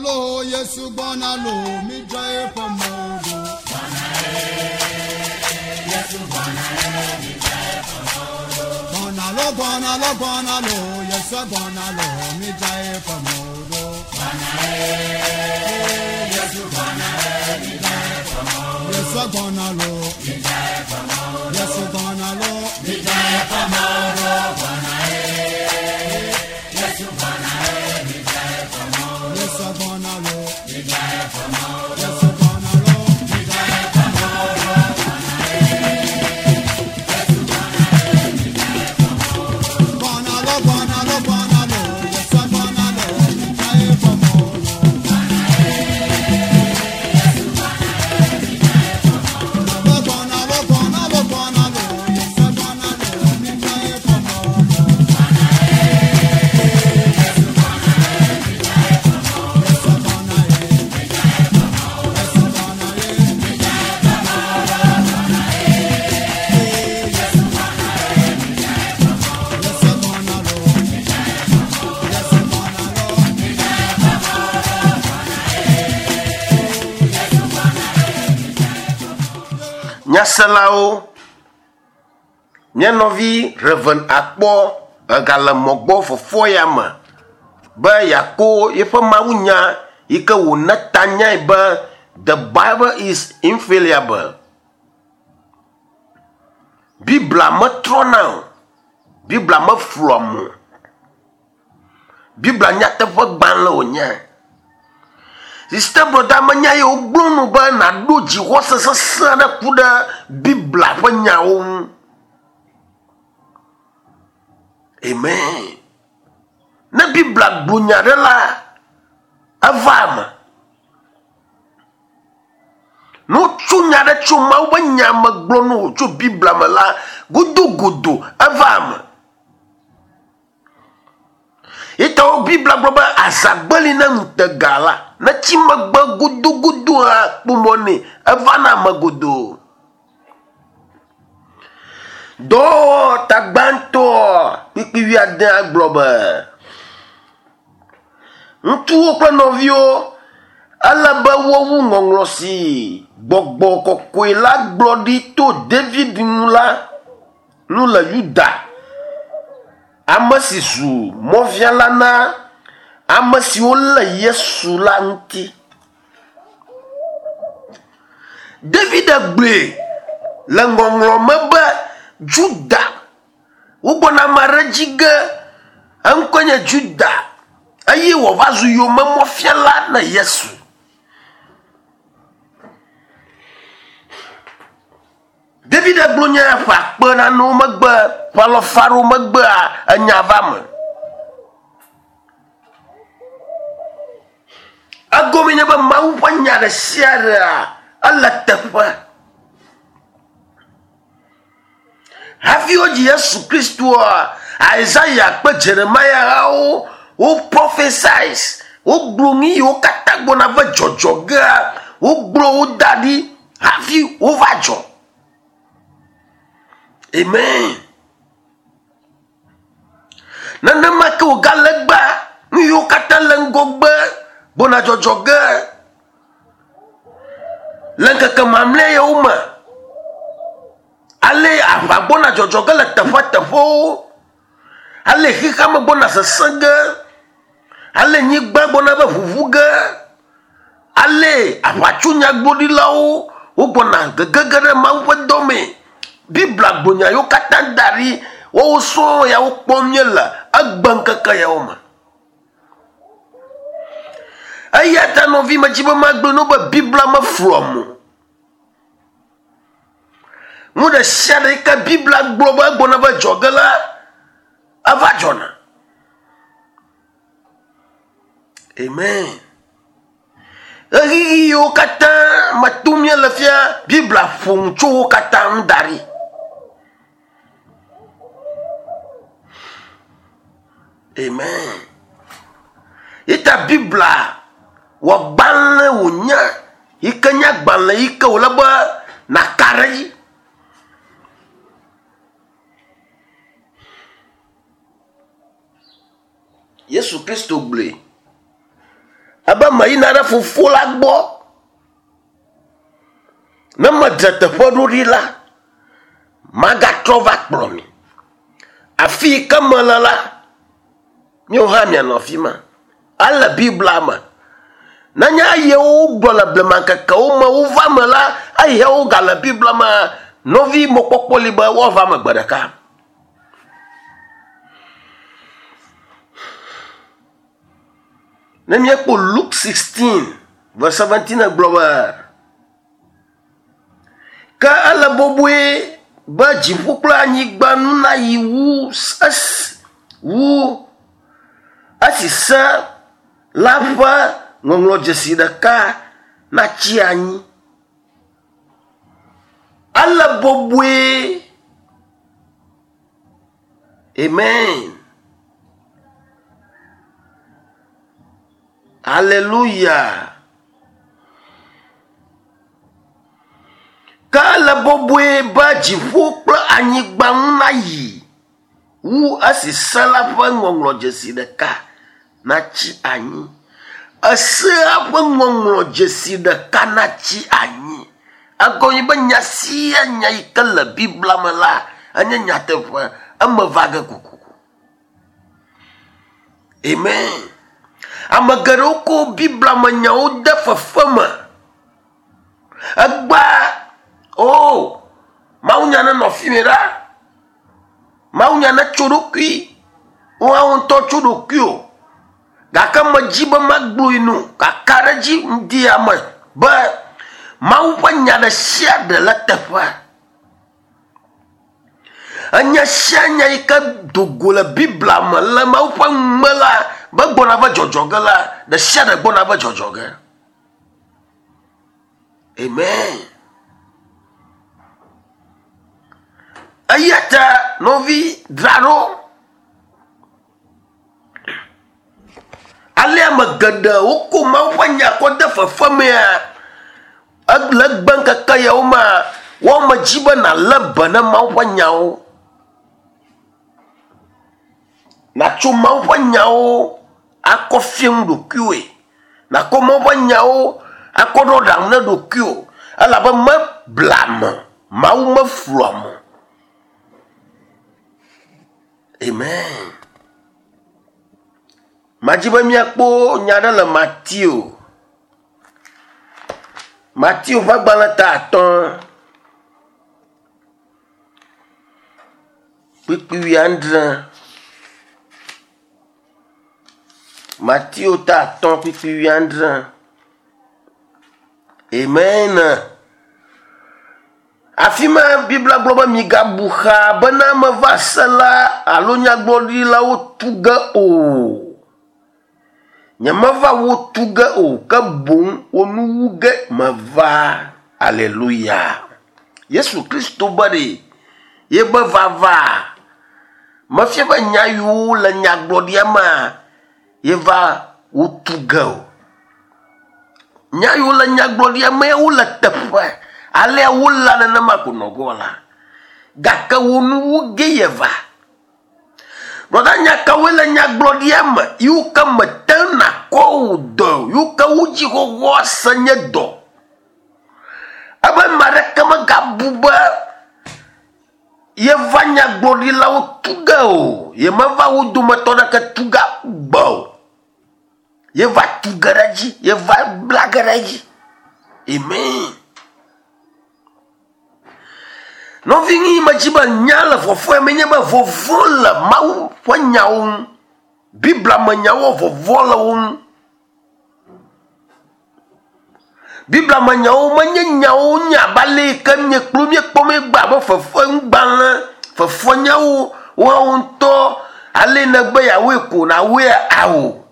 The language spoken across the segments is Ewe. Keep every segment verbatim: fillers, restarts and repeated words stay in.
lo, Yesu gbɔna lo, midza eƒe mɔwo ɖo. Gbɔna lo, gbɔna lo, gbɔna lo, Yesu gbɔna lo, midza eƒe mɔwo ɖo. Yesu gbɔna lo, Yesu gbɔna lo, midza eƒe mɔwo ɖo. Yesu gbɔna lo, Yesu gbɔna lo, midza eƒe mɔwo ɖo. Gbɔna lo, gbɔna lo, gbɔna lo, Yesu gbɔna lo, midza eƒe mɔwo ɖo. Gbɔna lo, gbɔna lo, gbɔna lo, Yesu gbɔna lo, midza eƒe mɔwo ɖo. Yesu gbɔna ye, Yesu gbɔna ye, midza eƒe mɔwo ɖo. Yesu Yesu gbɔna lo, Yesu gbɔna lo, midza eƒe mɔwo ɖo. Nyaselawo, mía nɔvi Reverend akpɔ egale mɔgbɔ fofoa ya me be yeako yeƒe mawunya yi ke wòne ta nyae be the Bible is infallible. Biblia metrɔna o. Biblia meflua mo. Biblia nyateƒe gbalẽ wònye. Sister brother menya ye wogblɔ nu be nàɖo dzixɔse sesẽ aɖe ku ɖe Biblia ƒe nyawo ŋu. Amen. Ne Biblia gblɔ nya ɖe la, eva eme. Ne wotso nya ɖe tso Mawu ƒe nya me gblɔ nu wò tso Biblia me la, godogodo eva eme. Yitawo Biblia gblɔ be azagbeli ne ŋutega la, ne tsi megbe godogodo hã kpɔ mɔ nɛ, eva na ame godoo. Dɔwɔwɔ tagbãtɔ kpikpi wuiadea gblɔ be ŋutsuwo kple nɔviwo ele be wowu ŋɔŋlɔ si gbɔgbɔ kɔkɔe la gblɔ ɖi to David ŋu la nu le Yuda, ame si zu mɔfiala na ame siwo lé Yesu la ŋuti. David gblɔe le ŋɔŋlɔ me be Juda, wogbɔna ame aɖe dzi ge, eŋkɔe nye Juda, eye wòava zu yomemɔfiala na Yesu. David gblɔ nya ƒe akpe nanewo megbe, ƒe alafa ɖewo megbea, enya va me. Egɔme nye be Mawu ƒe nya ɖe sia ɖea, ele teƒe. Hafi wodzi Yesu Kristoa, Isaiah kple Jeremiah hawo wo prophesize, wogblɔ nu yiwo katã gbɔna va dzɔdzɔ gea, wogblɔ wo da ɖi hafi wova dzɔ. Amen. Nenema ke wògale gbea, nu yiwo katã le ŋgɔgbe gbɔna dzɔdzɔ ge le ŋkeke mamlɛ yawo me. Ale aʋa gbɔna dzɔdzɔ ge le teƒeteƒewo. Ale xexeame gbɔna sesẽ ge. Ale nyigba gbɔna be ʋuʋu ge. Ale aʋatsonyagblɔɖilawo wogbɔna gegege ɖe Mawu ƒe dɔ me. Biblia gblɔ nya yiwo katã da ɖi woawo sɔŋ ya wokpɔm míele egbe ŋkeke yawo me. Eya ta nɔvi medzi be magblɔ no be Biblia meflua mo. Nu ɖe sia ɖe yi ke Biblia gblɔ be egbɔna va dzɔ ge la, eva dzɔna. Amen. Ɣeyiɣi yiwo katã me tom míele fia, Biblia ƒo nu tso wo katã ŋu da ɖi. Amen. Yita Biblia wɔ gbalẽ wònye yi ke nye agbalẽ yi ke wòle be nàka ɖe edzi. Yesu Kristo gblɔe. Ebe meyina ɖe fofo la gbɔ. Ne medze teƒe ɖo ɖi la, magatrɔ va kplɔ mi. Afi yi ke mele la, míawo hã mianɔ afi ma. Ele Biblia me. Nenye eye wogblɔ le blemaŋkekewo me wova me la, eye wogale Biblia me, nɔvi mɔkpɔkpɔ li be woava me gbe ɖeka. Ne míekpɔ Luke sixteen verse seventeen gblɔ be, ke ele bɔbɔe be dziƒo kple anyigba nu nayi wu esi wu esi se la ƒe ŋɔŋlɔdzesi ɖeka natsi anyi. Ele bɔbɔe. Amen. Hallelujah. Ke ele bɔbɔe be dziƒo kple anyigba ŋu nayi wu esi se la ƒe ŋɔŋlɔdzesi ɖeka natsi anyi. Esea ƒe ŋɔŋlɔdzesi ɖeka natsi anyi. Egɔme be nya sia nya yi ke le Biblia me la, enye nyateƒe, eme va ge kokoko. Amen. Ame geɖewo ko Biblia me nyawo de fefe me. Egba, o, Mawunya nenɔ fi mi ɖa. Mawunya netso ɖokui. Woawo ŋutɔ tso ɖokui o. Gake medzi be magblɔe nu, kaka ɖe dzi ŋdi ame be Mawu ƒe nya ɖe sia ɖe le teƒe. Enya sia nya yi ke do go le Biblia me le Mawu ƒe nu me la, be gbɔna va dzɔdzɔ ge la, ɖe sia ɖe gbɔna va dzɔdzɔ ge. Amen. Eya ta nɔvi dzra ɖo. Ale ame geɖe woko Mawu ƒe nya kɔ de fefe mea, le egbe ŋkeke yawo mea, woame dzi be nàlé be ne Mawu ƒe nyawo. Nàtso Mawu ƒe nyawo akɔ fia nu ɖokuiwòe. Nàkɔ Mawu ƒe nyawo akɔ ɖo aɖaŋu ne ɖokuiwò. Elabe mebla ame, Mawu meflu ame o. Amen. Madzi be míakpɔ nya ɖe le Mateo. Mateo ƒe agbalẽ ta atɔ̃. Kpukpui wuiadre. Mateo ta atɔ̃ kpukpui wuiadre. Amen. Afi ma Biblia gblɔ be migabu xa bena meva se la alo nyagblɔɖilawo tu ge o. Nyemeva wo tu ge o, ke boŋ wo nu wu ge meva. Alléluia. Yesu Kristo be ɖe ye be vava mefia be nya yiwo le nyagblɔɖia mea ye va wo tu ge o. Nya yiwo le nyagblɔɖia mea wole teƒe. Alea wole nenema ko nɔ gbɔ la. Gake wo nu wu ge ye va. Brɔda, nya kawoe le nyagblɔɖia me yiwo ke mete nakɔ wò dɔ, yiwo ke wo dzi xoxoa se nye dɔ. Ebe ame aɖeke megabu be yeva nyagblɔɖilawo tu ge o. Yemeva wo dometɔ ɖeke tu ge gbe o. Yeva tu ge ɖe edzi, yeva bla ge ɖe edzi. Amen. Nɔvi medzi be nya le vɔvɔe me nye be vɔvɔ̃ le Mawu ƒe nyawo ŋu. Biblia me nyawo vɔvɔ̃ le wo ŋu. Biblia me nyawo menye nyawo nye abe ale yi ke míekpɔ míekpɔ míegbe abe fefeŋugbalẽ, fefenyawo woawo ŋutɔ ale negbe yeawoe ko nawoe awo.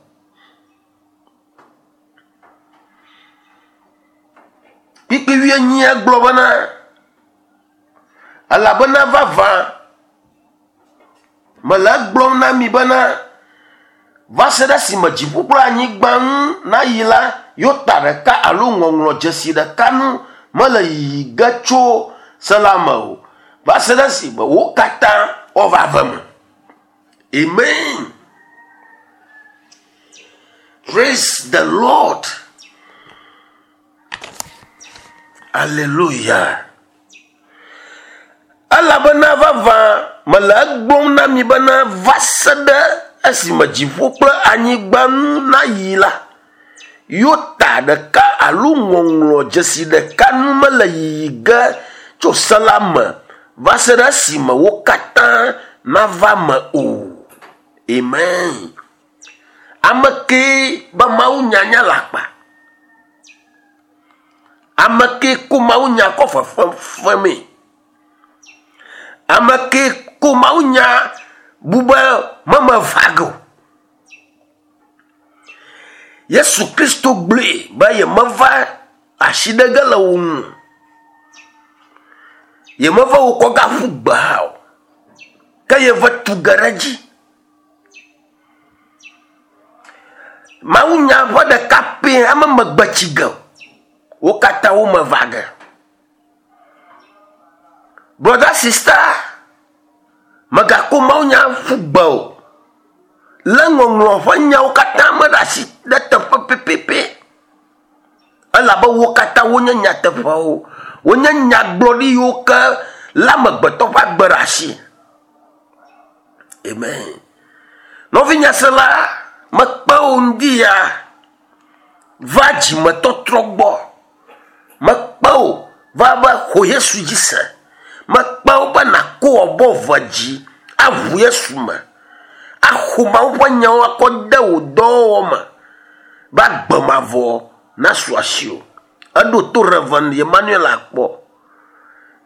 Kpukpui wuienyi gblɔ bena, elabena vavã mele egblɔm na mi bena va se ɖe esime dziƒo kple anyigba ŋu nayi la, yota ɖeka alo ŋɔŋlɔdzesi ɖeka nu mele yiyi ge tso se la me o. Va se ɖe esime wo katã woava ve me. Amen. Praise the Lord. Hallelujah. Elabena vavã mele egblɔm na mi bena va se ɖe esime dziƒo kple anyigba nu nayi la, yota ɖeka alo ŋɔŋlɔ dzesi ɖeka nu mele yiyi ge tso se la me va se ɖe esime wo katã nava me o. Amen. Ame kee be Mawu nyanya le akpa. Ame kee ko Mawu nya kɔ fefefemee. Ame kee ko Mawu nya bu be meme va ge o. Yesu Kristo gblɔe be yemeva asi ɖe ge le wo ŋu. Yemeva wo kɔ gaƒu gbe hã o. Ke yeva tu ge ɖe edzi. Mawu nya ƒe ɖeka pɛ ame megbe tsi ge o. Wo katã wo me va ge. Brother, sister, megako Mawu nya ƒu gbe o. Le ŋɔŋlɔ ƒe nyawo katã me ɖe asi ɖe teƒe pɛpɛpɛ. Elabe wo katã wonye nyateƒewo. Wonye nyagblɔɖi yiwo ke le amegbetɔ ƒe agbe ɖe asi. Amen. Nɔvinyasela, mekpe wo ŋdi ya va dzimetɔtrɔ gbɔ. Mekpe wo va be xɔ Yesu dzi se. Mekpe wo be nàko abɔ ve dzi aʋu Yesu me. Axɔ Mawu ƒe nyawo akɔ de wò dɔwɔwɔ me be agbe mavɔ nasu asiwò. Eɖo to Reverend Emmanuel akpɔ.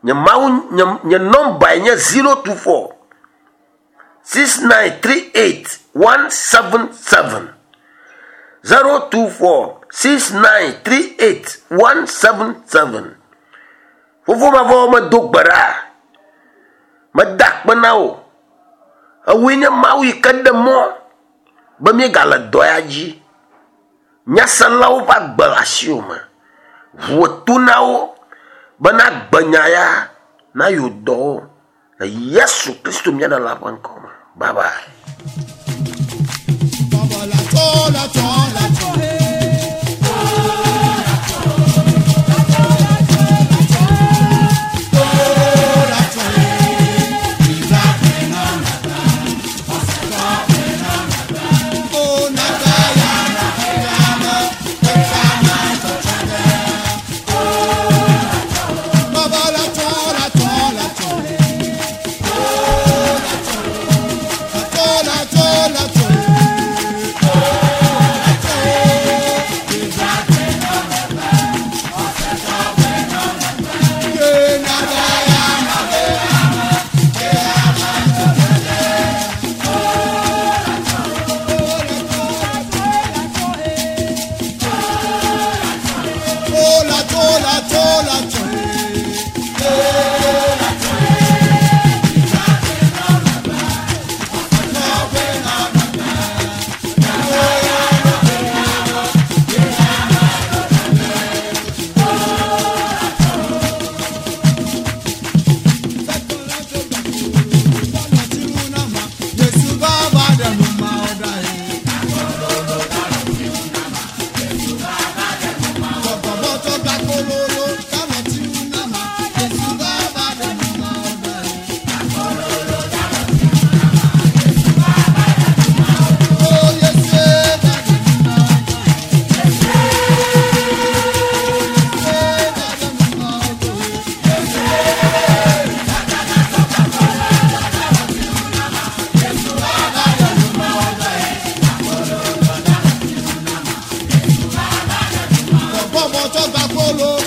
Nye Mawu, nye, nye nɔmbae nye zero two four six nine three eight one seven seven. Zero two four six nine three eight one seven seven. Fofo mavɔ medo gbe ɖa. Meda akpe na wò. Ewoe nye Mawu yi ke ɖe mɔ be míegale dɔ ya dzi. Nyaselawo ƒe agbe le asiwò me. Ʋu to na wo bena gbenya ya nayo dɔwo le Yesu Kristo mía Ɖela ƒe ŋkɔ me. Bye bye. Baba la tso la tso la tso. Bọ́bọ̀ tó gba kóló.